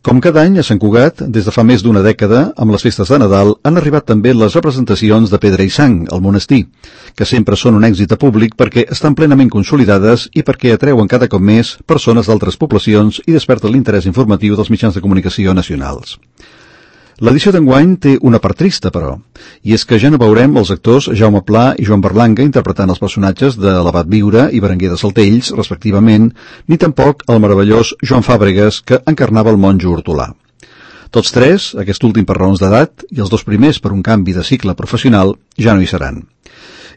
Com cada any, a Sant Cugat, des de fa més d'una dècada, amb les festes de Nadal, han arribat també les representacions de Pedra i Sang, al monestir, que sempre són un èxit a públic perquè estan plenament consolidades i perquè atreuen cada cop més persones d'altres poblacions i desperten l'interès informatiu dels mitjans de comunicació nacionals. L'edició d'enguany té una part trista, però, i és que ja no veurem els actors Jaume Pla i Joan Berlanga interpretant els personatges de l'Abat Viure i Berenguer de Saltells, respectivament, ni tampoc el meravellós Joan Fàbregas, que encarnava el monjo hortolà. Tots tres, aquest últim per raons d'edat, i els dos primers per un canvi de cicle professional, ja no hi seran.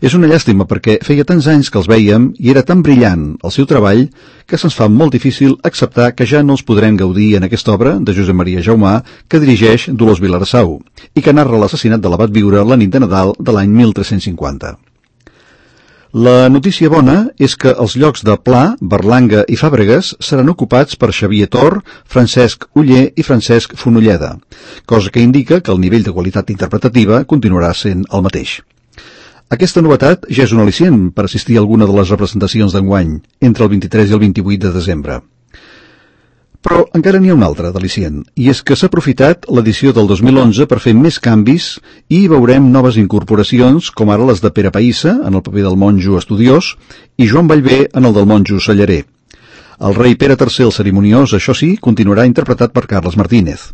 És una llàstima perquè feia tants anys que els vèiem i era tan brillant el seu treball que se'ns fa molt difícil acceptar que ja no els podrem gaudir en aquesta obra de Josep Maria Jaumà que dirigeix Dolors Vilarsau i que narra l'assassinat de l'Abat Viure la nit de Nadal de l'any 1350. La notícia bona és que els llocs de Pla, Berlanga i Fàbregas seran ocupats per Xavier Tor, Francesc Oller i Francesc Fonolleda, cosa que indica que el nivell de qualitat interpretativa continuarà sent el mateix. Aquesta novetat ja és un al·licient per assistir a alguna de les representacions d'enguany, entre el 23 i el 28 de desembre. Però encara n'hi ha un altre d'al·licient, i és que s'ha aprofitat l'edició del 2011 per fer més canvis i veurem noves incorporacions, com ara les de Pere Païssa, en el paper del monjo estudiós, i Joan Vallvé en el del monjo cellarer. El rei Pere III el cerimoniós, això sí, continuarà interpretat per Carles Martínez.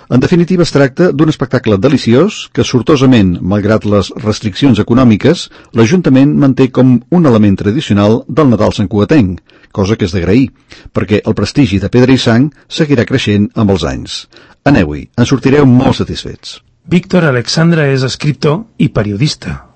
En definitiva, es tracta d'un espectacle deliciós que, sortosament, malgrat les restriccions econòmiques, l'Ajuntament manté com un element tradicional del Nadal santcugatenc, cosa que és d'agrair, perquè el prestigi de Pedra i Sang seguirà creixent amb els anys. Aneu-hi, en sortireu molt satisfets. Víctor Alexandra és escriptor i periodista.